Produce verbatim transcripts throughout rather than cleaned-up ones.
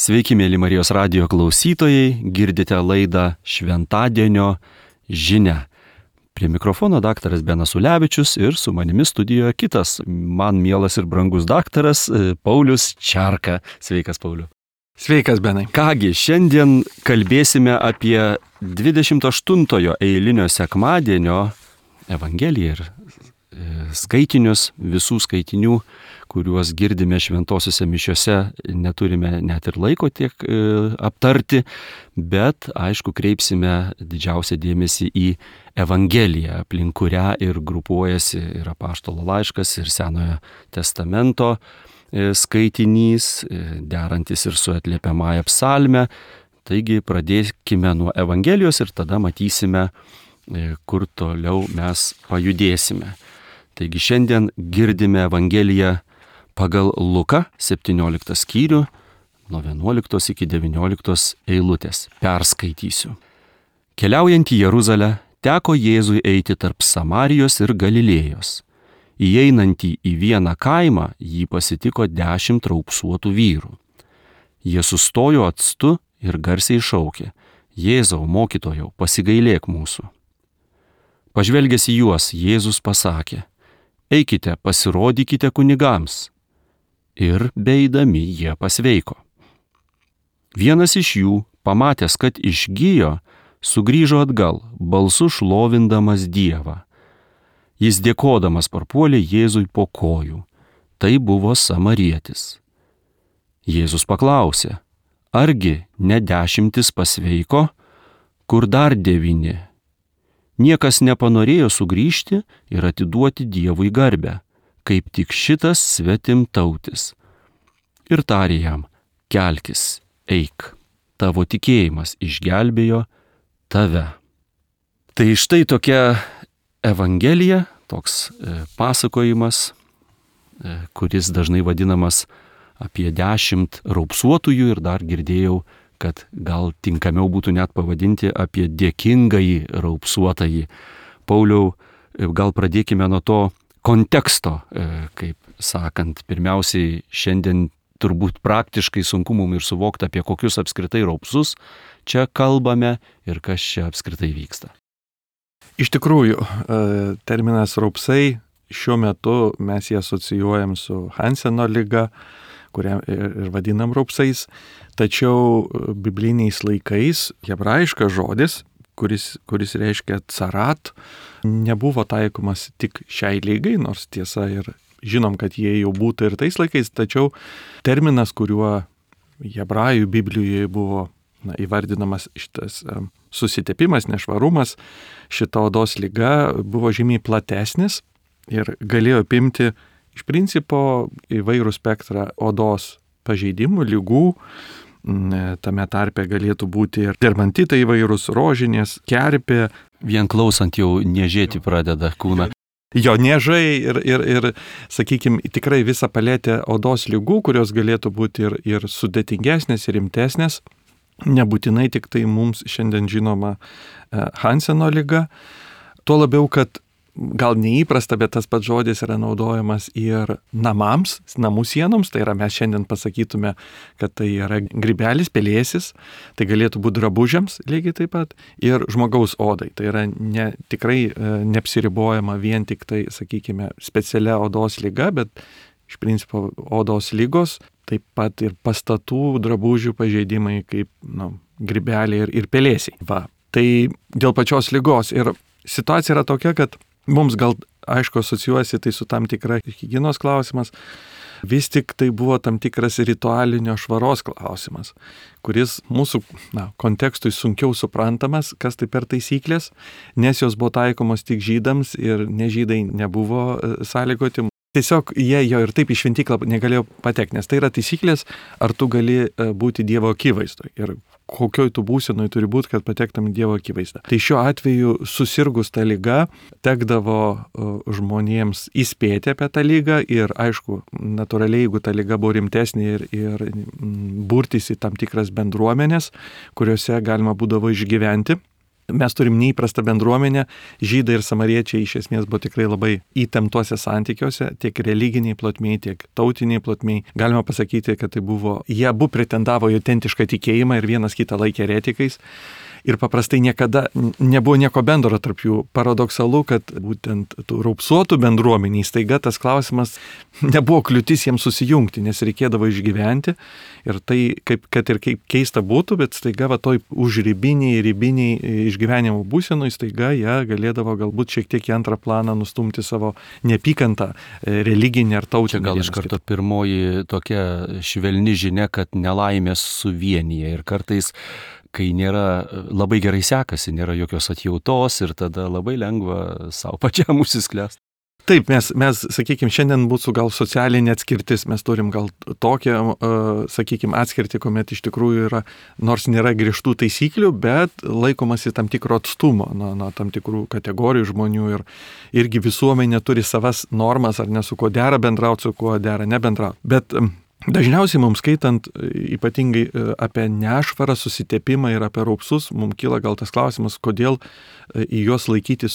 Sveiki, mėly Marijos radijo klausytojai, girdite laidą Šventadienio žinia. Prie mikrofono daktaras Benas Ulevičius ir su manimi studijoje kitas, man mielas ir brangus daktaras Paulius Čerka. Sveikas, Pauliu. Sveikas, Benai. Kągi, šiandien kalbėsime apie dvidešimt aštuntojo eilinio sekmadienio Evangeliją ir skaitinius, visų skaitinių, kuriuos girdime šventosiuose mišiuose, neturime net ir laiko tiek e, aptarti, bet, aišku, kreipsime didžiausią dėmesį į Evangeliją, aplink kurią ir grupuojasi ir apaštalo laiškas, ir Senojo testamento e, skaitinys, e, derantis ir su atliepiamąja psalme. Taigi pradėkime nuo Evangelijos ir tada matysime, e, kur toliau mes pajudėsime. Taigi šiandien girdime Evangeliją pagal Luką, septynioliktą skyrių, nuo vienuoliktos iki devynioliktos eilutės. Perskaitysiu. Keliaujant į Jeruzalę, teko Jėzui eiti tarp Samarijos ir Galilėjos. Įeinantį į vieną kaimą jį pasitiko dešimt raupsuotų vyrų. Jie sustojo atstu ir garsiai šaukė: Jėzau, mokytojau, pasigailėk mūsų. Pažvelgęs į juos, Jėzus pasakė: Eikite, pasirodykite kunigams. Ir beeidami jie pasveiko. Vienas iš jų, pamatęs, kad išgijo, sugrįžo atgal, balsu šlovindamas Dievą. Jis dėkodamas parpuolė Jėzui po kojų. Tai buvo samarietis. Jėzus paklausė: Argi ne dešimtis pasveiko, kur dar devyni? Niekas nepanorėjo sugrįžti ir atiduoti Dievui garbę, kaip tik šitas svetimtautis. Ir tarė jam: Kelkis, eik, tavo tikėjimas išgelbėjo tave. Tai štai tokia Evangelija, toks e, pasakojimas, e, kuris dažnai vadinamas apie dešimt raupsuotųjų, ir dar girdėjau, kad gal tinkamiau būtų net pavadinti apie dėkingąjį raupsuotąjį. Pauliau, gal pradėkime nuo to konteksto, kaip sakant. Pirmiausiai, šiandien turbūt praktiškai sunku mums ir suvokti, apie kokius apskritai raupsus čia kalbame ir kas čia apskritai vyksta. Iš tikrųjų, terminas raupsai šiuo metu mes jį asocijuojam su Hanseno liga, kurią ir vadinam raupsais, tačiau bibliniais laikais hebrajiškas žodis, kuris, kuris reiškia carat, nebuvo taikomas tik šiai ligai, nors tiesa ir žinom, kad jie jau būtų ir tais laikais, tačiau terminas, kuriuo hebrajų Biblijoje buvo na, įvardinamas šitas um, susitepimas, nešvarumas, šita odos liga buvo žymiai platesnis ir galėjo apimti iš principo įvairų spektrą odos pažeidimų, lygų. Tame tarpe galėtų būti ir dermatitai įvairūs, rožinės, kerpė. Vien klausant jau niežėti pradeda kūną. Jo niežai ir, ir, ir sakykime, tikrai visa paletė odos lygų, kurios galėtų būti ir, ir sudėtingesnės, ir rimtesnės. Nebūtinai tik tai mums šiandien žinoma Hanseno liga. Tuo labiau, kad gal neįprasta, bet tas pats žodis yra naudojamas ir namams, namų sienoms, tai yra mes šiandien pasakytume, kad tai yra grybelis, pelėsis, tai galėtų būti drabužiams lygiai taip pat, ir žmogaus odai. Tai yra ne, tikrai neapsiribojama vien tik tai, sakykime, specialia odos liga, bet iš principo odos lygos, taip pat ir pastatų, drabužių pažeidimai kaip nu, grybeliai ir, ir pelėsiai. Va. Tai dėl pačios ligos ir situacija yra tokia, kad mums gal, aišku, asocijuojasi tai su tam tikra higienos klausimas, vis tik tai buvo tam tikras ritualinio švaros klausimas, kuris mūsų na, kontekstui sunkiau suprantamas, kas tai per taisyklės, nes jos buvo taikomos tik žydams ir nežydai nebuvo sąlygoti. Tiesiog jie jo ir taip į šventyklą negalėjo patekti, nes tai yra taisyklės, ar tu gali būti Dievo akivaizdoje ir kokioj tu būsenoj turi būti, kad patektum į Dievo akivaizdą. Tai šiuo atveju susirgus tą ligą tekdavo žmonėms įspėti apie tą ligą ir aišku, natūraliai, jeigu ta liga buvo rimtesnė ir, ir burtis į tam tikras bendruomenės, kuriuose galima būdavo išgyventi. Mes turim neįprastą bendruomenę, žydai ir samariečiai iš esmės buvo tikrai labai įtemptuose santykiuose, tiek religiniai plotmiai, tiek tautiniai plotmiai. Galima pasakyti, kad tai buvo, jie abu pretendavo į autentišką tikėjimą ir vienas kitą laikė eretikais. Ir paprastai niekada nebuvo nieko bendro tarp jų. Paradoksalu, kad būtent tų raupsuotų bendruomeniai staiga tas klausimas nebuvo kliūtis jiems susijungti, nes reikėdavo išgyventi. Ir tai, kaip, kad ir kaip keista būtų, bet staiga va toj užribiniai, ribiniai išgyvenimo būsenui, staiga jie galėdavo galbūt šiek tiek į antrą planą nustumti savo neapykantą religinį ar tautinį. Čia gal iš karto pirmoji tokia švelni žinia, kad nelaimės suvienyje ir kartais kai nėra, labai gerai sekasi, nėra jokios atjautos ir tada labai lengva savo pačiam užsisklęsti. Taip, mes, mes sakykime, šiandien būtų gal socialinė atskirtis, mes turim gal tokią, uh, sakykime, atskirtį, kuomet iš tikrųjų yra, nors nėra griežtų taisyklių, bet laikomasi tam tikro atstumo nuo, nuo tam tikrų kategorijų žmonių ir irgi visuomenė turi savas normas, ar ne, su kuo dera bendrauti, su kuo dera nebendrauti. Bet um, dažniausiai mums skaitant ypatingai apie nešvarą, susitepimą ir apie raupsus, mums kyla gal tas klausimas, kodėl į juos laikytis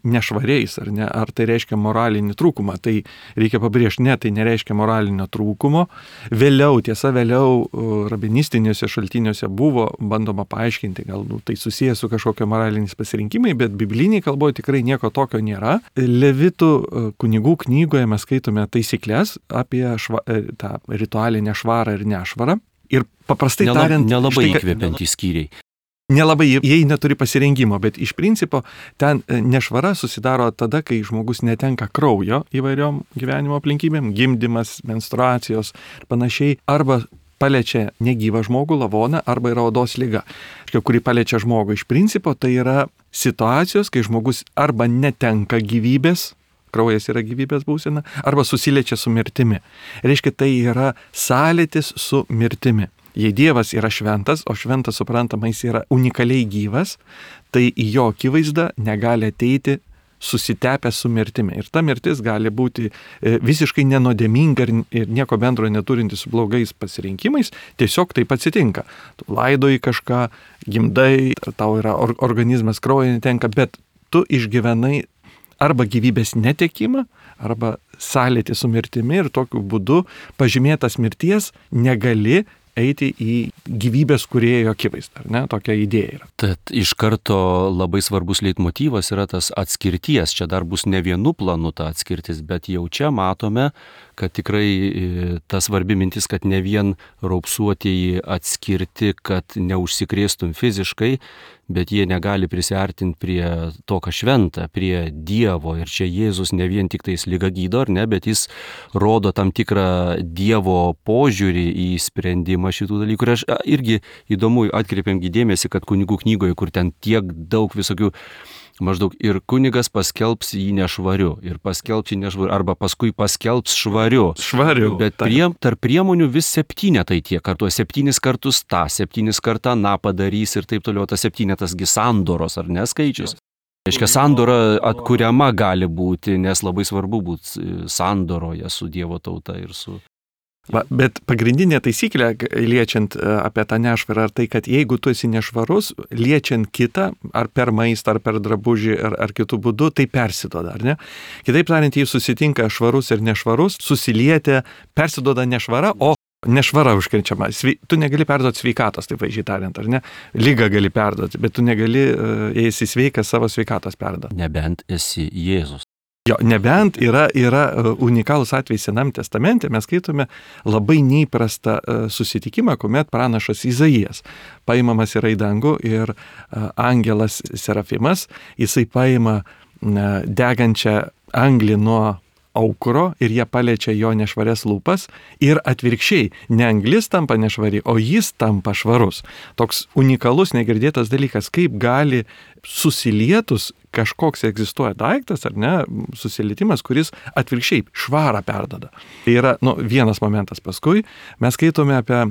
nešvariais, ar ne, ar tai reiškia moralinį trūkumą. Tai reikia pabrėžti, ne, tai nereiškia moralinio trūkumo. Vėliau, tiesa, vėliau rabinistiniuose šaltiniuose buvo bandoma paaiškinti, gal nu, tai susijęs su kažkokio moraliniais pasirinkimai, bet bibliniai kalboje tikrai nieko tokio nėra. Levitų kunigų knygoje mes skaitome taisyklės apie šva, tą ritualinę švarą ir nešvarą. Ir paprastai Nela, tariant... Nelabai įkvepiantys skyriai. Nelabai, jie neturi pasirengimo, bet iš principo ten nešvara susidaro tada, kai žmogus netenka kraujo įvairiom gyvenimo aplinkybėm, gimdymas, menstruacijos ir panašiai, arba paliečia negyvą žmogų, lavoną, arba yra odos liga, kuri paliečia žmogų. Iš principo tai yra situacijos, kai žmogus arba netenka gyvybės, kraujas yra gyvybės būsena, arba susiliečia su mirtimi. Reiškia, tai yra sąlytis su mirtimi. Jei Dievas yra šventas, o šventas suprantama, jis yra unikaliai gyvas, tai į jo akivaizdą negali ateiti susitepęs su mirtimi. Ir ta mirtis gali būti visiškai nenodėminga ir nieko bendro neturinti su blogais pasirinkimais, tiesiog taip atsitinka. Tu laidoji kažką, gimdai, tau yra organizmas kraujo netenka, bet tu išgyvenai arba gyvybės netekimą, arba sąlytį su mirtimi ir tokiu būdu pažymėtas mirties negali eiti į gyvybės kūrėjo akivaizdą, ar ne? Tokia idėja yra. Tad iš karto labai svarbus leitmotyvas yra tas atskirties. Čia dar bus ne vienu planu ta atskirtis, bet jau čia matome, kad tikrai ta svarbi mintis, kad ne vien raupsuotieji atskirti, kad neužsikrėstum fiziškai, bet jie negali prisiartinti prie to, ką šventa, prie Dievo. Ir čia Jėzus ne vien tik tais ligą gydo, ar ne, bet jis rodo tam tikrą Dievo požiūrį į sprendimą šitų dalykų. Ir aš irgi įdomu atkreipiam dėmesį, kad kunigų knygoje, kur ten tiek daug visokių, maždaug ir kunigas paskelbs jį nešvariu, ir paskelbs jį nešvariu, arba paskui paskelbs švariu. Švariu. Bet prie, tarp priemonių vis septynetai tiek, kartuos septynis kartus tą, septynis kartą na padarys ir taip toliau, tas septynetasgi sandoros, ar ne skaičius? Reiškia, sandora atkuriama gali būti, nes labai svarbu būti sandoroje su Dievo tauta ir su... Va, bet pagrindinė taisyklė, liečiant apie tą nešvarą, ar tai, kad jeigu tu esi nešvarus, liečiant kitą, ar per maistą, ar per drabužį, ar, ar kitų būdų, tai persiduoda, ar ne? Kitaip tariant, jei susitinka švarus ir nešvarus, susilietė, persiduoda nešvara, o nešvara užkrečiama. Tu negali perduoti sveikatos, taip vaizdžiai tariant, ar ne? Lygą gali perduoti, bet tu negali, jei esi sveikas, savo sveikatos perduoti. Nebent esi Jėzus. Jo, nebent yra, yra unikalus atvejs Senam testamente, mes skaitome labai neįprastą susitikimą, kuomet pranašas Izaijas paimamas yra į dangų ir angelas Serafimas, jisai paima degančią anglį nuo aukuro ir jie paliečia jo nešvarias lūpas ir atvirkščiai, ne anglis tampa nešvari, o jis tampa švarus. Toks unikalus, negirdėtas dalykas, kaip gali susilietus kažkoks egzistuoja daiktas, ar ne, susilietimas, kuris atvirkščiai švarą perdada. Tai yra, nu, vienas momentas. Paskui mes skaitome apie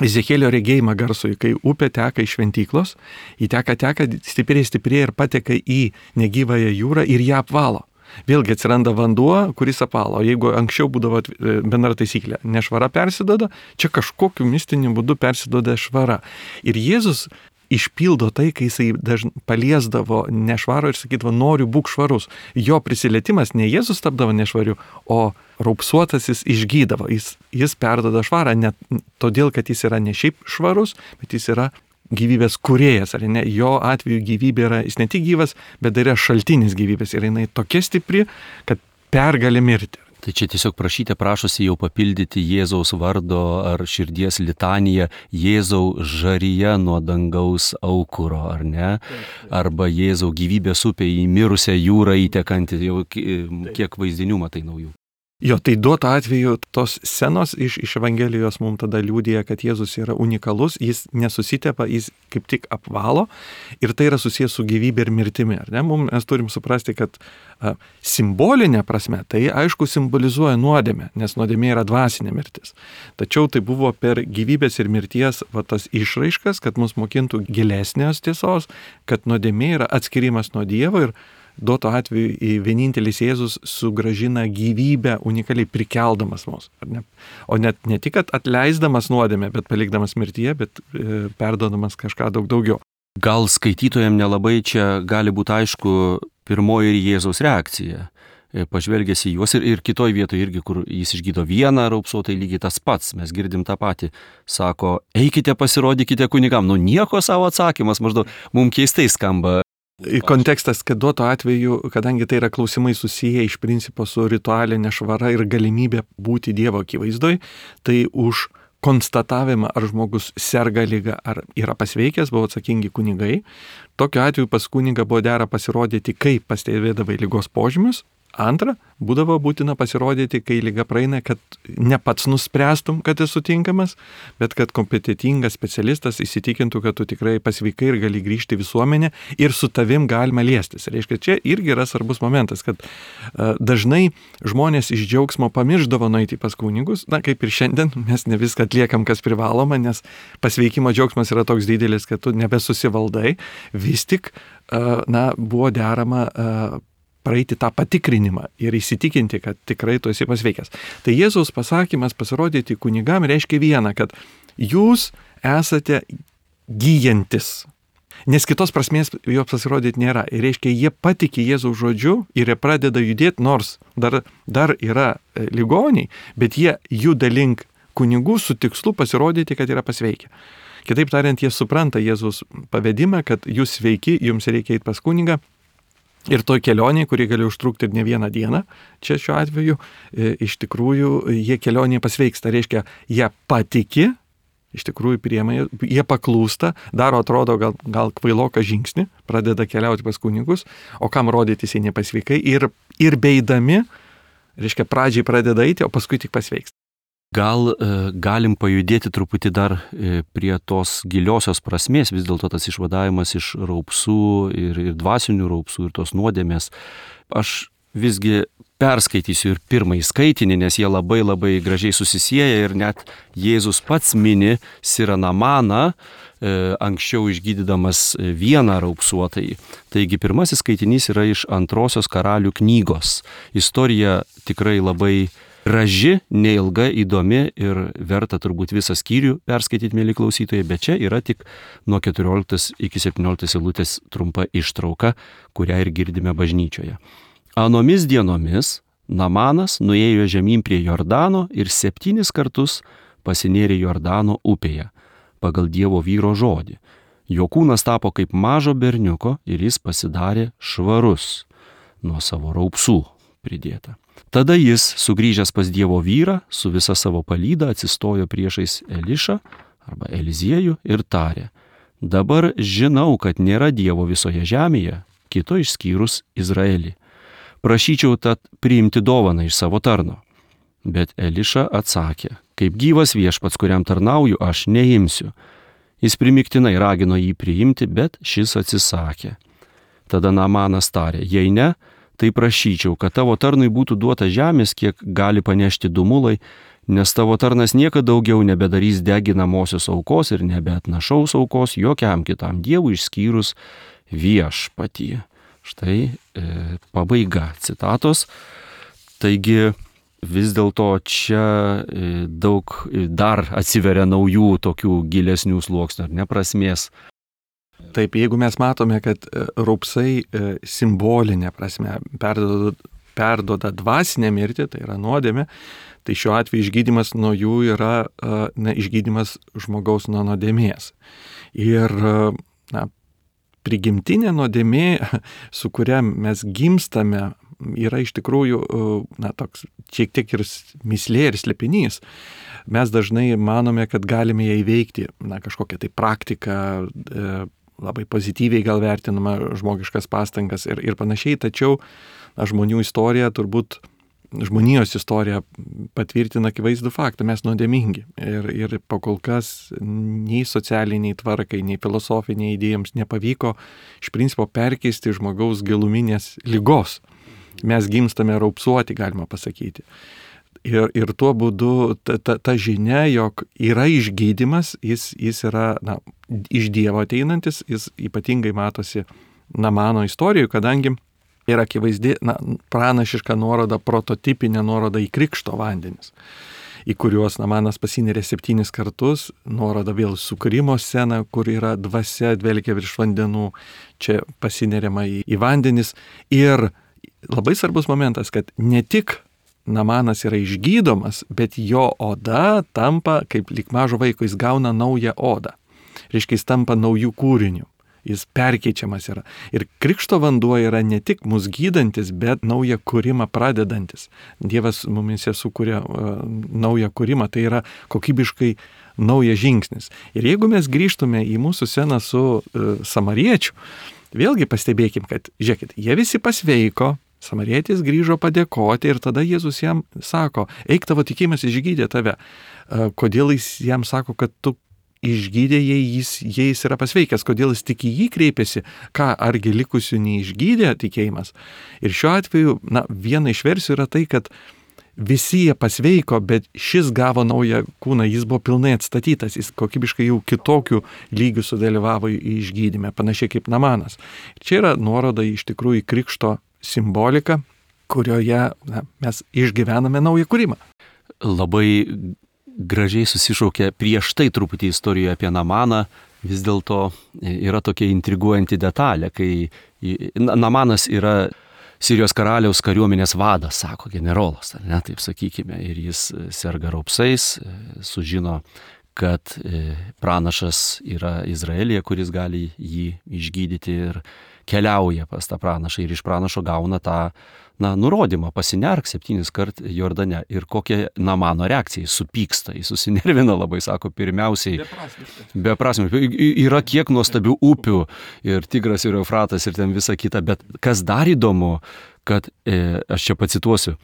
Ezekėlio regėjimą garsui, kai upė teka iš šventyklos, į teka, teka, stipriai, stipriai ir pateka į negyvąją jūrą ir ją apvalo. Vėlgi atsiranda vanduo, kuris apvalo. Jeigu anksčiau būdavo bendra taisyklė, nešvara persidoda, čia kažkokiu mistiniu būdu persidoda švara. Ir Jėzus išpildo tai, kai jisai dažnai paliesdavo nešvarų ir sakydavo, noriu būk švarus. Jo prisilietimas ne Jėzus tapdavo nešvariu, o raupsuotasis išgydavo. Jis, jis perdoda švarą, ne todėl, kad jis yra ne šiaip švarus, bet jis yra gyvybės kūrėjas, ar ne? Jo atveju gyvybė yra, jis ne tik gyvas, bet dar yra šaltinis gyvybės ir jinai tokia stipri, kad pergali mirti. Tai čia tiesiog prašyte, prašosi jau papildyti Jėzaus vardo ar širdies litaniją Jėzau žaryje nuo dangaus aukuro, ar ne? Arba Jėzau gyvybės upė į mirusią jūrą įtekanti, jau kiek vaizdinių matai naujų. Jo, tai duoto atveju tos scenos iš, iš Evangelijos mums tada liudija, kad Jėzus yra unikalus, jis nesusitepa, jis kaip tik apvalo ir tai yra susijęs su gyvybė ir mirtimi. Ar ne? Mums mes turim suprasti, kad a, simbolinė prasme tai aišku simbolizuoja nuodėmę, nes nuodėmė yra dvasinė mirtis. Tačiau tai buvo per gyvybės ir mirties va, tas išraiškas, kad mus mokintų gilesnės tiesos, kad nuodėmė yra atskirimas nuo Dievo ir duoto atveju vienintelis Jėzus sugražina gyvybę unikaliai prikeldamas mus. Ne? O net ne tik atleisdamas nuodėmę, bet palikdamas mirtyje, bet e, perdodamas kažką daug daugiau. Gal skaitytojams nelabai čia gali būti aišku pirmoji ir Jėzaus reakcija. Pažvelgęs į juos ir, ir kitoj vietoje irgi, kur jis išgydo vieną raupsuotą, lygiai tas pats, mes girdim tą patį. Sako, eikite pasirodykite kunigam. Nu nieko savo atsakymas, maždaug mums keistai skamba. Kontekstas, kad duoto atveju, kadangi tai yra klausimai susiję iš principo su ritualinė švara ir galimybė būti Dievo akivaizdoj, tai už konstatavimą, ar žmogus serga liga, ar yra pasveikęs, buvo atsakingi kunigai. Tokiu atveju pas kunigą buvo dera pasirodyti, kai pastebėdavai ligos požymius. Antra, būdavo būtina pasirodyti, kai liga praeina, kad ne pats nuspręstum, kad esi tinkamas, bet kad kompetitingas specialistas įsitikintų, kad tu tikrai pasveikai ir gali grįžti į visuomenę ir su tavim galima liestis. Reiškia, čia irgi yra svarbus momentas, kad uh, dažnai žmonės iš džiaugsmo pamirždavo nueiti pas kunigus, na kaip ir šiandien, mes ne viską atliekam, kas privaloma, nes pasveikimo džiaugsmas yra toks didelis, kad tu nebesusivaldai, vis tik uh, na, buvo derama uh, praeiti tą patikrinimą ir įsitikinti, kad tikrai tu esi pasveikęs. Tai Jėzaus pasakymas pasirodyti kunigam reiškia vieną, kad jūs esate gyjantis. Nes kitos prasmės jo pasirodyti nėra. Ir reiškia, jie patiki Jėzaus žodžiu ir jie pradeda judėti, nors dar, dar yra ligoniai, bet jie juda link kunigų su tikslu pasirodyti, kad yra pasveikę. Kitaip tariant, jie supranta Jėzaus pavedimą, kad jūs sveiki, jums reikia eiti pas kunigą. Ir toj kelionėje, kuri gali užtrukti ir ne vieną dieną, čia šiuo atveju, e, iš tikrųjų, jie kelionėje pasveiksta, reiškia, jie patiki, iš tikrųjų priema, jie paklūsta, daro atrodo gal, gal kvailoką žingsnį, pradeda keliauti pas kunigus, o kam rodytis jie nepasveikai ir, ir beidami, reiškia, pradžiai pradeda eiti, o paskui tik pasveiksta. Gal e, galim pajudėti truputį dar e, prie tos giliosios prasmės, vis dėlto tas išvadavimas iš raupsų ir, ir dvasinių raupsų ir tos nuodėmės. Aš visgi perskaitysiu ir pirmąjį skaitinį, nes jie labai labai gražiai susisieja ir net Jėzus pats mini Siranamaną, e, anksčiau išgydydamas vieną raupsuotąjį. Taigi pirmasis skaitinys yra iš antrosios Karalių knygos. Istorija tikrai labai graži, neilga, įdomi ir verta turbūt visą skyrių perskaityti, mėly klausytojai, bet čia yra tik nuo keturioliktos iki septynioliktos eilutės trumpa ištrauka, kurią ir girdime bažnyčioje. Anomis dienomis Namanas nuėjo žemyn prie Jordano ir septynis kartus pasinėrė Jordano upėje, pagal Dievo vyro žodį. Jo kūnas tapo kaip mažo berniuko ir jis pasidarė švarus nuo savo raupsų pridėta. Tada jis, sugrįžęs pas Dievo vyrą, su visa savo palyda atsistojo priešais Elišą arba Eliziejų ir tarė: dabar žinau, kad nėra Dievo visoje žemėje, kito išskyrus Izraelį. Prašyčiau tad priimti dovaną iš savo tarno. Bet Eliša atsakė: kaip gyvas viešpats, kuriam tarnauju, aš neimsiu. Jis primiktinai ragino jį priimti, bet šis atsisakė. Tada Namanas tarė: jei ne, tai prašyčiau, kad tavo tarnui būtų duota žemės, kiek gali panešti du mulai, nes tavo tarnas niekada daugiau nebedarys deginamosios aukos ir nebeatnašaus aukos jokiam kitam dievui išskyrus viešpatį. Štai e, pabaiga citatos. Taigi vis dėlto čia e, daug dar atsiveria naujų tokių gilesnių sluoksnių ar neprasmės. Taip, jeigu mes matome, kad raupsai simbolinė prasme perduoda, perduoda dvasinę mirtį, tai yra nuodėmė, tai šiuo atveju išgydymas nuo jų yra na, išgydymas žmogaus nuo nuodėmės. Ir na, prigimtinė nuodėmė, su kuria mes gimstame, yra iš tikrųjų na, toks šiek tiek ir mislė ir slėpinys. Mes dažnai manome, kad galime ją įveikti, na, kažkokią tai praktiką, e, labai pozityviai gal vertinama žmogiškas pastangas ir, ir panašiai, tačiau na, žmonių istorija turbūt žmonijos istorija patvirtina akivaizdų faktą, mes nuodėmingi. Ir, ir po kol kas nei socialiniai tvarkai, nei filosofiniai idėjoms nepavyko iš principo perkeisti žmogaus giluminės ligos. Mes gimstame raupsuoti, galima pasakyti. Ir, ir tuo būdu ta, ta, ta žinia, jog yra išgydymas, jis, jis yra na, iš Dievo ateinantis, jis ypatingai matosi Namano istorijoje, kadangi yra akivaizdi na, pranašiška nuoroda, prototipinė nuoroda į krikšto vandenis, į kuriuos Namanas pasinerė septynis kartus, nuoroda vėl sukūrimo sceną, kur yra dvasia dvelkia virš vandenų, čia pasineriama į, į vandenis. Ir labai svarbus momentas, kad ne tik Namanas yra išgydomas, bet jo oda tampa, kaip lyg mažo vaiko, jis gauna naują odą. Reiškia, jis tampa naujų kūrinių. Jis perkeičiamas yra. Ir krikšto vanduo yra ne tik mus gydantis, bet naują kūrimą pradedantis. Dievas mumise sukuria uh, naują kūrimą, tai yra kokybiškai naujas žingsnis. Ir jeigu mes grįžtume į mūsų sceną su uh, samariečiu, vėlgi pastebėkim, kad, žiūrėkit, jie visi pasveiko, samarietis grįžo padėkoti ir tada Jėzus jam sako, eik, tavo tikėjimas išgydė tave. Uh, kodėl jis jam sako, kad tu išgydė, jei jis, jei jis yra pasveikęs, kodėl jis tik į jį kreipėsi, ką, argi likusių neišgydė tikėjimas. Ir šiuo atveju, na, viena iš versijų yra tai, kad visi jie pasveiko, bet šis gavo naują kūną, jis buvo pilnai atstatytas, jis kokybiškai jau kitokių lygių sudalyvavo į išgydymę, panašiai kaip Namanas. Ir čia yra nuoroda iš tikrųjų į krikšto simboliką, kurioje na, mes išgyvename naują kūrimą. Labai gražiai susišaukia prieš tai truputį istorijoje apie Namaną, vis dėlto yra tokia intriguojanti detalė, kai Namanas yra Sirijos karaliaus kariuomenės vadas, sako generolas, ar ne, taip sakykime, ir jis serga raupsais, sužino, kad pranašas yra Izraelyje, kuris gali jį išgydyti ir keliauja pas tą pranašą ir iš pranašo gauna tą na, nurodymą, pasinerk septynis kart Jordane. Ir kokia Namano reakcija, jis supyksta, jis susinervina labai, sako, pirmiausiai. Beprasmiškai. Yra kiek nuostabių upių ir Tigras ir Eufratas ir ten visa kita, bet kas dar įdomu, kad, e, aš čia pacituosiu,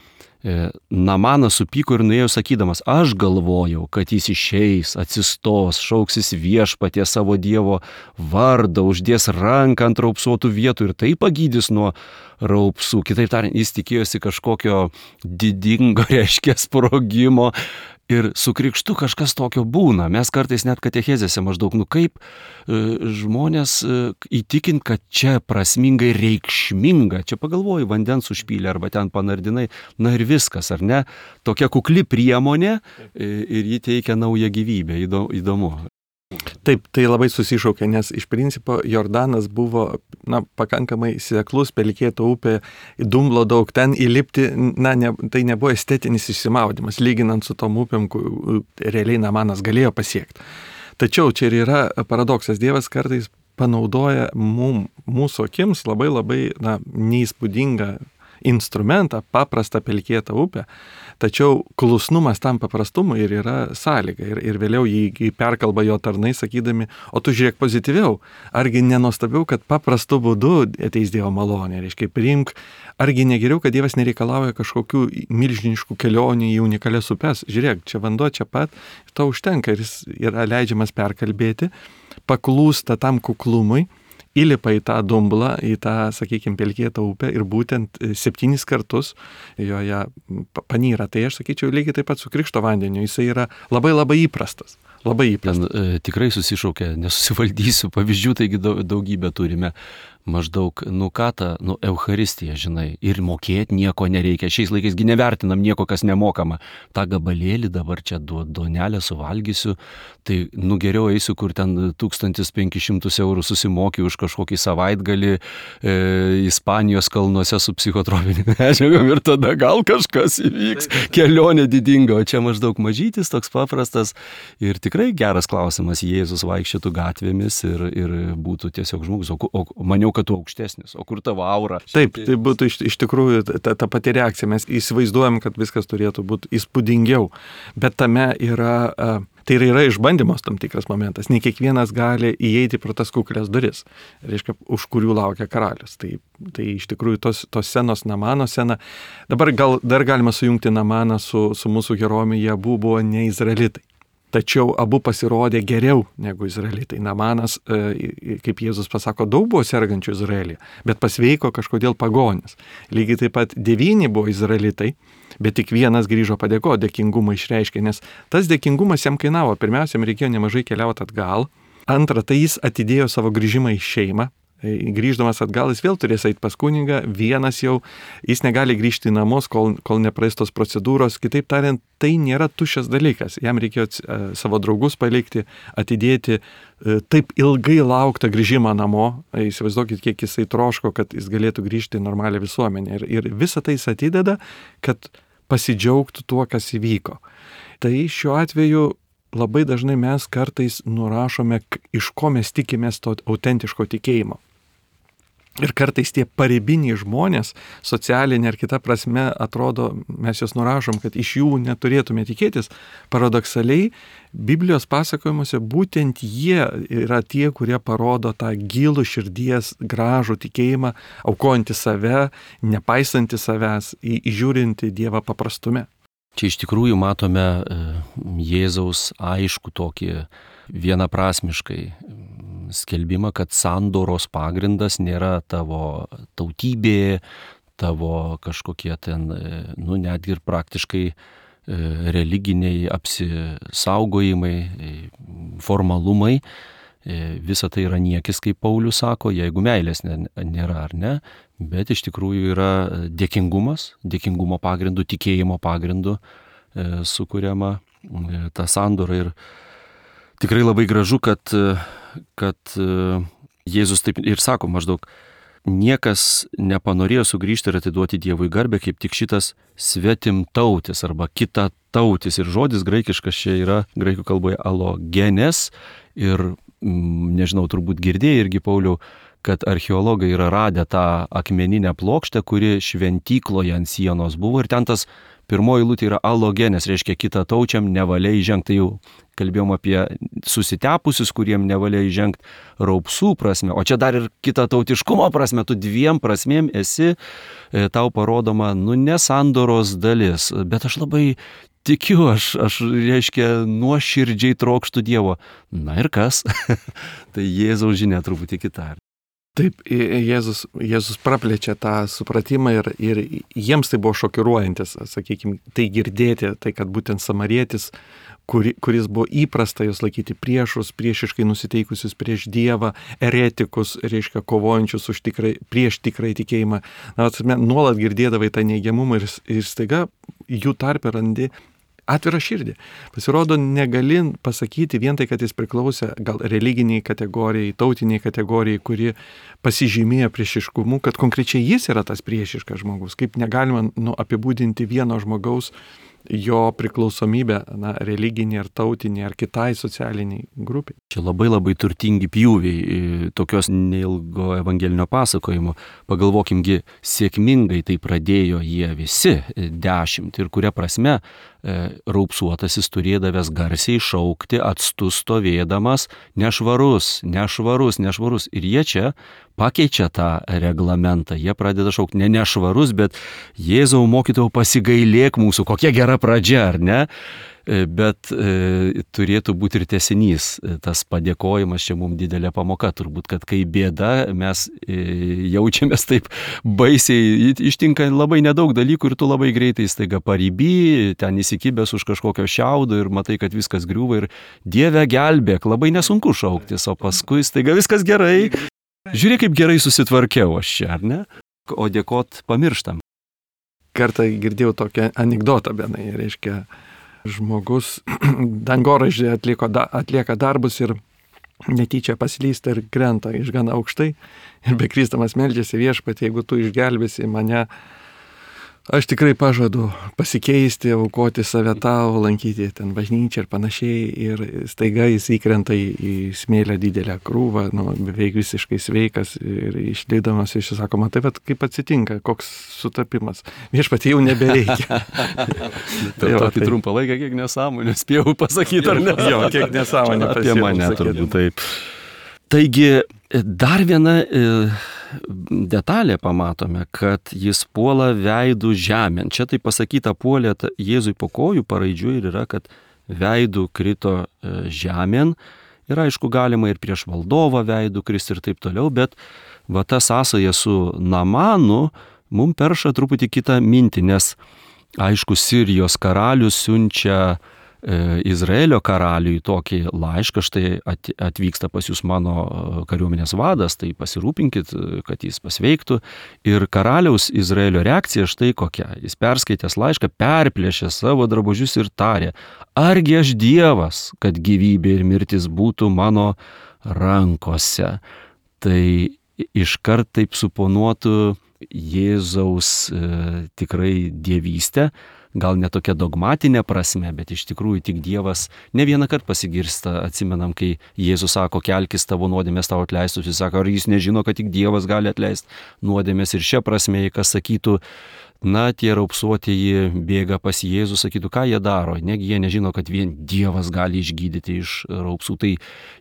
e, Namanas supyko ir nuėjo sakydamas, aš galvojau, kad jis išeis, atsistos, šauksis viešpatie savo Dievo vardą, uždės ranką ant raupsuotų vietų ir tai pagydys nuo raupsų. Kitaip tariant, jis tikėjosi kažkokio didingo, reiškia, sprogimo ir su krikštu kažkas tokio būna. Mes kartais net katechezėse maždaug, nu kaip e, žmonės e, įtikint, kad čia prasmingai reikšminga, čia pagalvoju, vandens užpylė arba ten panardinai, na ir viskas, ar ne? Tokia kukli priemonė e, ir ji teikia naują gyvybę, įdomu. Taip, tai labai susišaukia, nes iš principo Jordanas buvo na, pakankamai seklus, pelkėta upė, dumblo daug, ten įlipti, na, ne, tai nebuvo estetinis išsimaudimas, lyginant su tom upėm, kur realiai Namanas galėjo pasiekti. Tačiau čia ir yra paradoksas, Dievas kartais panaudoja mum, mūsų akims labai labai na, neįspūdingą instrumentą, paprastą pelkėtą upę, tačiau klusnumas tam paprastumui ir yra sąlyga. Ir, ir vėliau jį perkalba jo tarnai, sakydami, o tu žiūrėk pozityviau, argi nenuostabiau, kad paprastu būdu ateis Dievo malonė, reiškia, priimk, argi negeriau, kad Dievas nereikalauja kažkokių milžiniškų kelionių į unikalias upes. Žiūrėk, čia vanduo čia pat, to užtenka ir jis yra leidžiamas perkalbėti, paklūsta tam kuklumui, įlipa į tą dumblą, į tą, sakykime, pelkėtą upę ir būtent septynis kartus joje panyra. Tai aš sakyčiau, lygiai taip pat su krikšto vandeniu, jisai yra labai labai įprastas. Labai įprastas. Ten e, tikrai susišaukia, nesusivaldysiu, pavyzdžių taigi daugybę turime. maždaug, nu ką ta, nu Eucharistija, žinai, ir mokėti nieko nereikia. Šiais laikaisgi nevertinam nieko, kas nemokama. Ta gabalėlį dabar čia duonelę suvalgysiu, tai nu geriau eisiu, kur ten tūkstantis penkis šimtus eurų susimokiu už kažkokį savaitgalį e, Ispanijos kalnuose su psichotropinėm medžiagom ir tada gal kažkas įvyks. Kelionė didinga, o čia maždaug mažytis, toks paprastas ir tikrai geras klausimas. Jėzus vaikščiotų gatvėmis ir, ir būtų tiesiog žmogus, o, o maniau, kad tu aukštesnis, o kur tavo aura? Taip, tai būtų iš, iš tikrųjų ta, ta pati reakcija, mes įsivaizduojam, kad viskas turėtų būti įspūdingiau, bet tame yra, tai yra išbandymos tam tikras momentas, ne kiekvienas gali įeiti pro tas kuklės duris, reiškia, už kurių laukia karalius. Tai, tai iš tikrųjų tos, tos scenos, Namano scena, dabar gal dar galima sujungti Namaną su, su mūsų herojumi, jie abu buvo ne izraelitai. Tačiau abu pasirodė geriau negu izraelitai. Namanas, kaip Jėzus pasako, daug buvo sergančių Izraelyje, bet pasveiko kažkodėl pagonis. Lygiai taip pat devyni buvo izraelitai, bet tik vienas grįžo padėko, dėkingumą išreiškė, nes tas dėkingumas jam kainavo. Pirmiausia, jam reikėjo nemažai keliauti atgal. Antra, tai jis atidėjo savo grįžimą į šeimą. Grįždamas atgal, jis vėl turės eiti pas kunigą, vienas jau, jis negali grįžti į namus, kol, kol nepraeis tos procedūros. Kitaip tariant, tai nėra tuščias dalykas. Jam reikėjo savo draugus palikti, atidėti taip ilgai lauktą grįžimą namo. Įsivaizduokit, kiek jisai troško, kad jis galėtų grįžti į normalią visuomenę. Ir, ir visą tai jis atideda, kad pasidžiaugtų tuo, kas įvyko. Tai šiuo atveju labai dažnai mes kartais nurašome, iš ko mes tikimės to autentiško tikėjimo. Ir kartais tie paribiniai žmonės, socialinė ar kita prasme, atrodo, mes juos nurašom, kad iš jų neturėtume tikėtis. Paradoksaliai, Biblijos pasakojimuose būtent jie yra tie, kurie parodo tą gilų širdies gražų tikėjimą, aukojantį save, nepaisantį savęs, įžiūrinti Dievą paprastume. Čia iš tikrųjų matome Jėzaus aišku tokį vienaprasmiškai skelbimą, kad sandoros pagrindas nėra tavo tautybė, tavo kažkokie ten, nu netgi ir praktiškai religiniai apsisaugojimai, formalumai. Visa tai yra niekis, kaip Paulius sako, jeigu meilės nėra ar ne, bet iš tikrųjų yra dėkingumas, dėkingumo pagrindu, tikėjimo pagrindu sukuriama ta sandora. Ir tikrai labai gražu, kad, kad Jėzus taip ir sako maždaug, niekas nepanorėjo sugrįžti ir atiduoti Dievui garbę, kaip tik šitas svetimtautis arba kitatautis. Ir žodis graikiškas čia yra graikų kalboje alogenes. Ir nežinau, turbūt girdėjai irgi, Pauliau, kad archeologai yra radę tą akmeninę plokštę, kuri šventykloje ant sienos buvo. Ir ten tas pirmoji eilutė yra alogenes, reiškia kitataučiam nevalia įžengti. Tai jau kalbėjom apie susitepusius, kuriem nevalia įžengti raupsų prasme. O čia dar ir kitatautiškumo prasme, tu dviem prasmėm esi, tau parodoma, nu, ne sandoros dalis, bet aš labai tikiu, aš, aš reiškia, nuoširdžiai trokštų Dievo. Na ir kas? Tai Jėzaus žinia truputį kita. Taip, Jėzus, Jėzus praplečia tą supratimą ir, ir jiems tai buvo šokiruojantis, sakykime, tai girdėti, tai kad būtent samarietis, kuri, kuris buvo įprasta jos laikyti priešus, priešiškai nusiteikusius prieš Dievą, eretikus, reiškia, kovojančius už tikrai, prieš tikrai tikėjimą, na, nuolat girdėdavai tą neigiamumą ir, ir staiga jų tarpe randi atvirą širdį. Pasirodo, negali pasakyti vien tai, kad jis priklausė gal religiniai kategorijai, tautiniai kategorijai, kuri pasižymėjo priešiškumu, kad konkrečiai jis yra tas priešiškas žmogus. Kaip negalima nu, apibūdinti vieno žmogaus jo priklausomybę, na, religinė ar tautinė ar kitai socialiniai grupiai. Čia labai labai turtingi pjūviai tokios neilgo evangelinio pasakojimo. Pagalvokimgi, sėkmingai tai pradėjo jie visi dešimt ir kuria prasme raupsuotasis turėdavęs garsiai šaukti, atstu stovėdamas, nešvarus, nešvarus, nešvarus. Ir jie čia pakeičia tą reglamentą. Jie pradeda šaukti ne nešvarus, bet Jėzau mokytojau pasigailėk mūsų, kokia gera pradžia, ar ne? Bet e, turėtų būti ir tęsinys. Tas padėkojimas čia mums didelė pamoka. Turbūt, kad kai bėda, mes e, jaučiamės taip baisiai, ištinka labai nedaug dalykų ir tu labai greitai staiga pariby, ten įsikibęs už kažkokio šiaudo ir matai, kad viskas griūva ir Dieve gelbėk, labai nesunku šauktis, o paskui staiga viskas gerai. Žiūrėk, kaip gerai susitvarkiau aš čia, ar ne? O dėkot pamirštam. Kartą girdėjau tokią anekdotą, benai, reiškia, žmogus dangoraižį atliko, da, atlieka darbus ir netyčia paslysta ir krenta iš gana aukštai ir bekrystamas meldžiasi: Viešpatie, jeigu tu išgelbėsi mane, aš tikrai pažadu pasikeisti, aukoti save tau, lankyti ten bažnyčią ir panašiai. Ir staiga jis įkrenta į, į smėlę didelę krūvą, nu, beveik visiškai sveikas ir išlydamas iš sako: matai, bet kaip atsitinka, koks sutapimas. Viešpatie, jau nebereikia. Per tokį tai trumpą laiką kiek nesąmonę spėjau pasakyti, ar ne? Jo, kiek nesąmonę apie pasiekau, mane sakydam. turbūt taip. Taigi, dar viena e, detalė pamatome, kad jis puola veidų žemėn. Čia tai pasakyta puolė Jėzui po kojų, paraidžiui ir yra, kad veidų krito e, žemėn. Ir aišku, galima ir prieš valdovą veidų kristi ir taip toliau, bet va ta sąsaja su Namanu mum perša truputį kitą mintį, nes aišku, Sirijos karalius siunčia Izraelio karaliui tokį laišką: štai atvyksta pas jūs mano kariuomenės vadas, tai pasirūpinkit, kad jis pasveiktų. Ir karaliaus Izraelio reakcija štai kokia. Jis perskaitęs laišką perplėšė savo drabužius ir tarė: argi aš Dievas, kad gyvybė ir mirtis būtų mano rankose. Tai iškart taip suponuotų Jėzaus e, tikrai dievystę. Gal ne tokia dogmatinė prasme, bet iš tikrųjų tik Dievas ne vieną kartą pasigirsta. Atsimenam, kai Jėzus sako: kelkis, tavo nuodėmės tau atleistus. Jis sako: ar jis nežino, kad tik Dievas gali atleisti nuodėmės? Ir šia prasme, jei kas sakytų, na, tie raupsuotieji bėga pas Jėzų, sakytų, ką jie daro? Negi jie nežino, kad vien Dievas gali išgydyti iš raupsų. Tai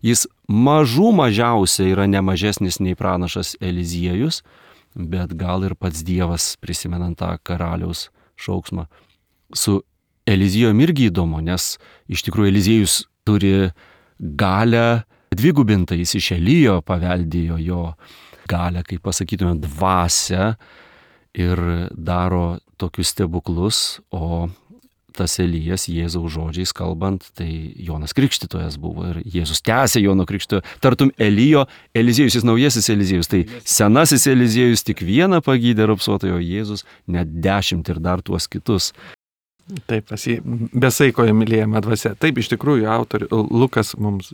jis mažų mažiausia yra ne mažesnis nei pranašas Eliziejus, bet gal ir pats Dievas, prisimenant tą karaliaus šauksmą. Su Eliziejum irgi įdomu, nes iš tikrųjų Eliziejus turi galę dvigubintą, jis iš Elijo paveldėjo jo galę, kaip pasakytume, dvasią ir daro tokius stebuklus, o tas Elijas, Jėzaus žodžiais kalbant, tai Jonas Krikštytojas buvo ir Jėzus tęsė Jono Krikštytojo. Tartum Elijo, Eliziejus, jis naujasis Eliziejus, tai senasis Eliziejus tik vieną pagydė raupsuotojo, Jėzus net dešimt ir dar tuos kitus. Taip, pasi besaikoje mylėjama dvasia. Taip, iš tikrųjų, autorius Lukas mums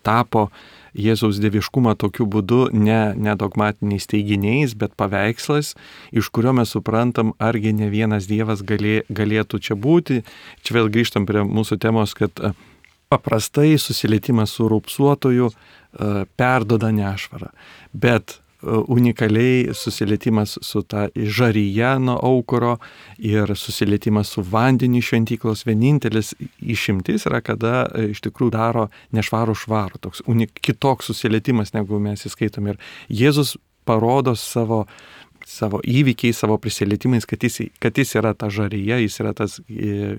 tapo Jėzaus dieviškumą tokiu būdu ne, ne dogmatiniais teiginiais, bet paveikslas, iš kurio mes suprantam, argi ne vienas Dievas galė, galėtų čia būti. Čia vėl grįžtam prie mūsų temos, kad paprastai susilietimas su raupsuotoju perdoda nešvarą, bet unikaliai susilietimas su ta žaryje nuo aukuro ir susilietimas su vandeniu šventyklos vienintelis išimtis yra, kada iš tikrųjų daro nešvarų švarų, toks unik, kitoks susilietimas, negu mes įskaitom. Ir Jėzus parodo savo, savo įvykiai, savo prisilietimais, kad jis, kad jis yra ta žaryje, jis yra tas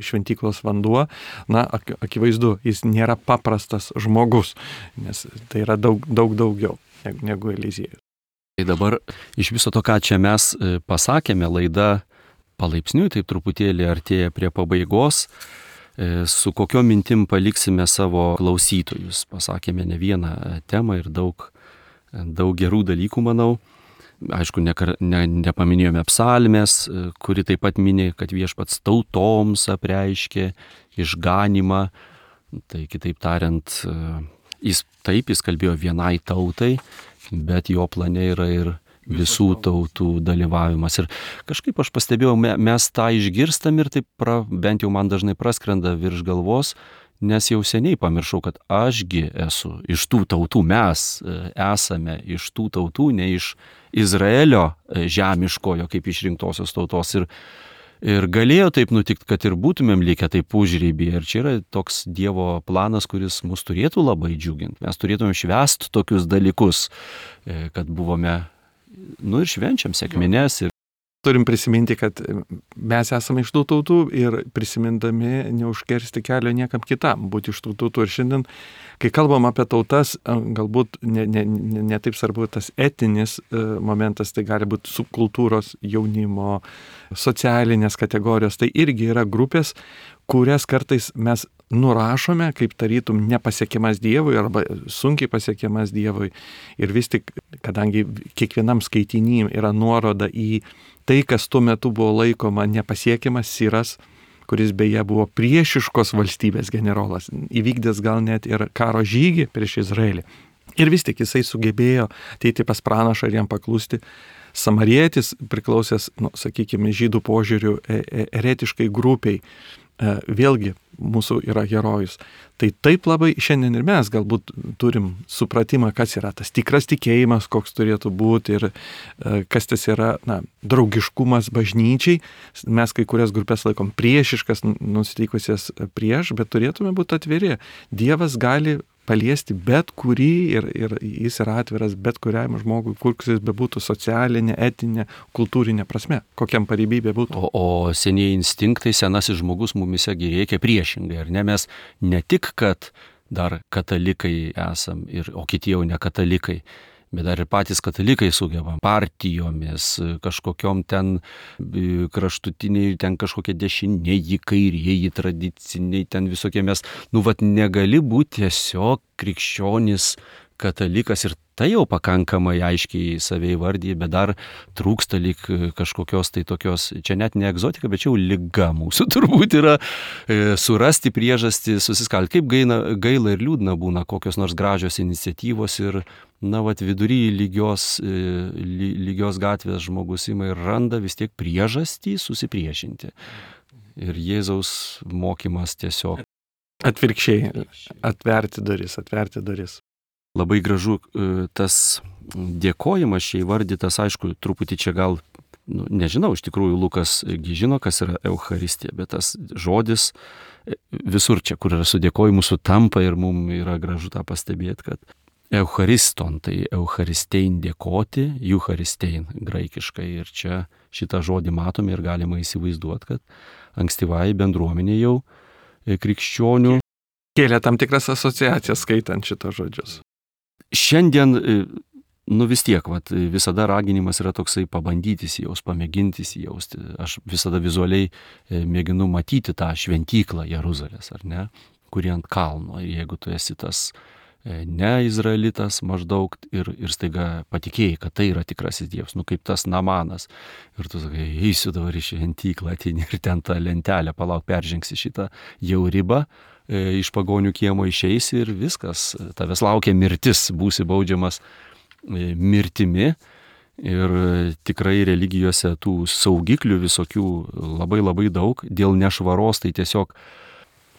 šventyklos vanduo. Na, ak, akivaizdu, jis nėra paprastas žmogus, nes tai yra daug, daug daugiau negu, negu Eliziejus. Tai dabar iš viso to, ką čia mes pasakėme, laida palaipsniui taip truputėlį artėja prie pabaigos. Su kokio mintim paliksime savo klausytojus. Pasakėme ne vieną temą ir daug, daug gerų dalykų, manau. Aišku, ne, ne, nepaminėjome psalmės, kuri taip pat mini, kad Viešpats tautoms apreiškė išganimą. Tai kitaip tariant, jis taip, jis kalbėjo vienai tautai, bet jo plane yra ir visų tautų dalyvavimas. Ir kažkaip aš pastebėjau, mes tą išgirstam ir taip pra, bent jau man dažnai praskrenda virš galvos, nes jau seniai pamiršau, kad ašgi esu iš tų tautų, mes esame iš tų tautų, ne iš Izraelio žemiškojo kaip išrinktosios tautos. Ir Ir galėjo taip nutikti, kad ir būtumėm likę taip užrybyje. Ir čia yra toks Dievo planas, kuris mus turėtų labai džiuginti. Mes turėtumėm švęsti tokius dalykus, kad buvome, nu ir švenčiam sekmines. Ir turim prisiminti, kad mes esame iš tų tautų ir prisimindami neužkersti kelio niekam kitam būti iš tų tautų. Ir šiandien, kai kalbam apie tautas, galbūt ne, ne, ne, ne taip svarbu tas etinis momentas, tai gali būti subkultūros, jaunimo, socialinės kategorijos. Tai irgi yra grupės, kurias kartais mes nurašome kaip tarytum nepasiekiamas Dievui arba sunkiai pasiekiamas Dievui. Ir vis tik, kadangi kiekvienam skaitiny yra nuoroda į tai, kas tuo metu buvo laikoma nepasiekiamas, Siras, kuris beje buvo priešiškos valstybės generolas, įvykdęs gal net ir karo žygį prieš Izraelį. Ir vis tik jisai sugebėjo ateiti pas pranašą ir jam paklusti. Samarietis, priklausęs, nu, sakykime, žydų požiūrių eretiškai grupiai, vėlgi mūsų yra herojus. Tai taip labai šiandien ir mes galbūt turim supratimą, kas yra tas tikras tikėjimas, koks turėtų būti ir kas tas yra, na, draugiškumas bažnyčiai. Mes kai kurias grupės laikom priešiškas, nusiteikusias prieš, bet turėtume būti atviri. Dievas gali paliesti bet kurį ir, ir jis yra atviras bet kuriam žmogui, koks jis bebūtų socialinė, etinė, kultūrinė prasme, kokiam pareigybė būtų. O, o senieji instinktai, senasis žmogus mumise veikia priešingai, ar ne? Mes ne tik, kad dar katalikai esam, ir, o kiti jau ne katalikai, bet dar ir patys katalikai sugebam partijomis, kažkokiom ten kraštutiniai, ten kažkokie dešiniai, kairieji, tradiciniai, ten visokie mes, nu vat negali būti tiesiog krikščionis katalikas ir tai jau pakankamai aiškiai save įvardyje, bet dar trūksta lyg kažkokios tai tokios, čia net ne egzotika, bet čia jau liga mūsų turbūt yra e, surasti priežastį, susiskalti. Kaip gaila, gaila ir liūdna būna kokios nors gražios iniciatyvos ir, na, vat vidury lygios, e, ly, lygios gatvės žmogus ima ir randa vis tiek priežastį susipriešinti. Ir Jėzaus mokymas tiesiog. Atvirkščiai, atverti duris, atverti duris. Labai gražu tas dėkojimas čia įvardytas, aišku, truputį čia gal, nu, nežinau, iš tikrųjų Lukas žino, kas yra Eucharistija, bet tas žodis visur čia, kur yra su dėkojimu, sutampa ir mums yra gražu tą pastebėti, kad Euchariston, tai Eucharistein dėkoti, Eucharistein graikiškai, ir čia šitą žodį matome ir galima įsivaizduoti, kad ankstyvai bendruomenė jau krikščionių kėlė tam tikras asociacijas skaitant šitos žodžius. Šiandien, nu vis tiek, vat, visada raginimas yra toksai pabandyti įsijaust, pamėginti įsijausti. Aš visada vizualiai mėginu matyti tą šventyklą Jeruzalės, ar ne, kuri ant kalno. Ir jeigu tu esi tas ne izraelitas maždaug ir, ir staiga patikėjai, kad tai yra tikrasis Dievas, nu kaip tas Namanas. Ir tu sakai, eisiu dabar į šventyklą, ateini ir ten tą lentelę, palauk, peržengsi šitą jau ribą. Iš pagonių kiemo išeisi ir viskas, tavęs laukia mirtis, būsi baudžiamas mirtimi. Ir tikrai religijose tų saugiklių visokių labai labai daug. Dėl nešvaros tai tiesiog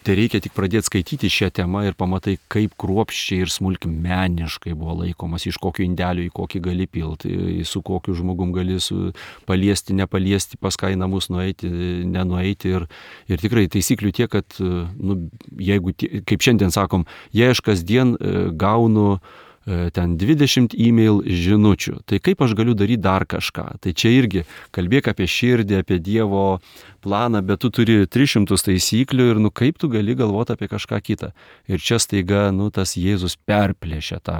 tai reikia tik pradėti skaityti šią temą ir pamatai, kaip kruopščiai ir smulkmeniškai buvo laikomas, iš kokio indelio į kokį gali pilti, su kokiu žmogum gali su, paliesti, nepaliesti, pas ką į namus nueiti, nenueiti. Ir, ir tikrai taisyklių tiek, kad, nu, jeigu, kaip šiandien sakom, jei aš kasdien gaunu ten dvidešimt e-mail žinučių, tai kaip aš galiu daryti dar kažką? Tai čia irgi kalbėk apie širdį, apie Dievo planą, bet tu turi tris šimtus taisyklių ir, nu, kaip tu gali galvoti apie kažką kitą. Ir čia staiga, nu, tas Jėzus perplėšia tą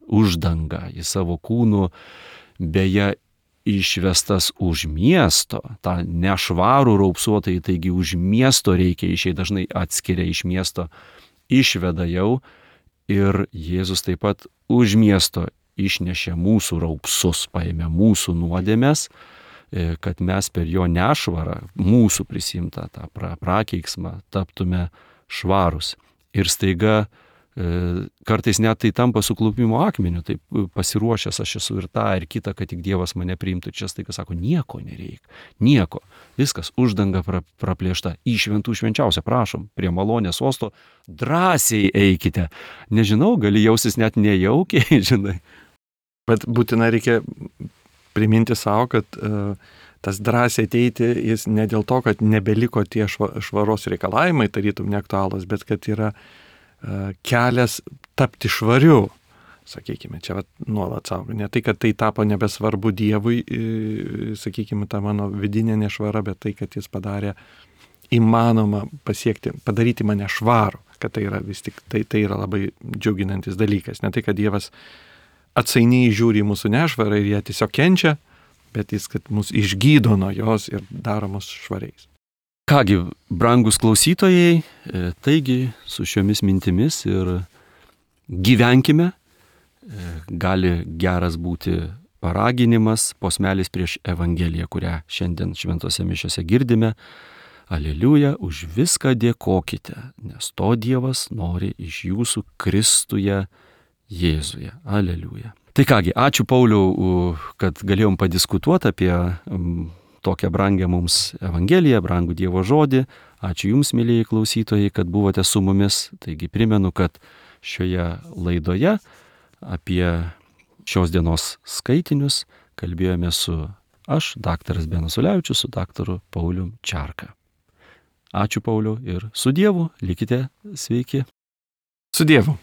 uždangą į savo kūnų, beje, išvestas už miesto, tą nešvarų raupsuotai, taigi už miesto reikia išeiti, dažnai atskiria iš miesto, išveda jau. Ir Jėzus taip pat už miesto išnešė mūsų raupsus, paėmė mūsų nuodėmes, kad mes per jo nešvarą, mūsų prisimtą tą pra, prakeiksmą, taptume švarus. Ir staiga kartais net tai tampa suklupimo akmeniu, taip pasiruošęs aš esu ir tą, ir kitą, kad tik Dievas mane priimtų. Čia staiga sako, nieko nereikia, nieko, viskas, uždanga pra, praplėšta, į šventų švenčiausią, prašom, prie malonės sosto, drąsiai eikite. Nežinau, gali jaustis net nejaukiai, žinai. Bet būtinai reikia priminti savo, kad uh, tas drąsiai ateiti, jis ne dėl to, kad nebeliko tie šva, švaros reikalavimai, tarytum neaktualūs, bet kad yra kelias tapti švariu, sakykime, čia vat, nuolat savo. Ne tai, kad tai tapo nebesvarbu Dievui, sakykime, ta mano vidinė nešvara, bet tai, kad jis padarė įmanoma pasiekti, padaryti mane švarų, kad tai yra vis tik, tai, tai yra labai džiuginantis dalykas. Ne tai, kad Dievas atsainiai žiūri į mūsų nešvarą ir jie tiesiog kenčia, bet jis, kad mus išgydo nuo jos ir daro mus švariais. Kągi, brangus klausytojai, taigi su šiomis mintimis ir gyvenkime, gali geras būti paraginimas, posmelis prieš Evangeliją, kurią šiandien šventose mišiose girdime. Aleliuja, už viską dėkokite, nes to Dievas nori iš jūsų Kristuje Jėzuje. Aleliuja. Tai kągi, ačiū Pauliau, kad galėjom padiskutuoti apie tokią brangę mums Evangeliją, brangų Dievo žodį. Ačiū Jums, mėlyjei klausytojai, kad buvote su mumis. Taigi primenu, kad šioje laidoje apie šios dienos skaitinius kalbėjome su aš, daktaras Benas Ulevičius, su daktaru Paulium Čarka. Ačiū Pauliau ir su Dievu, likite sveiki. Su Dievu.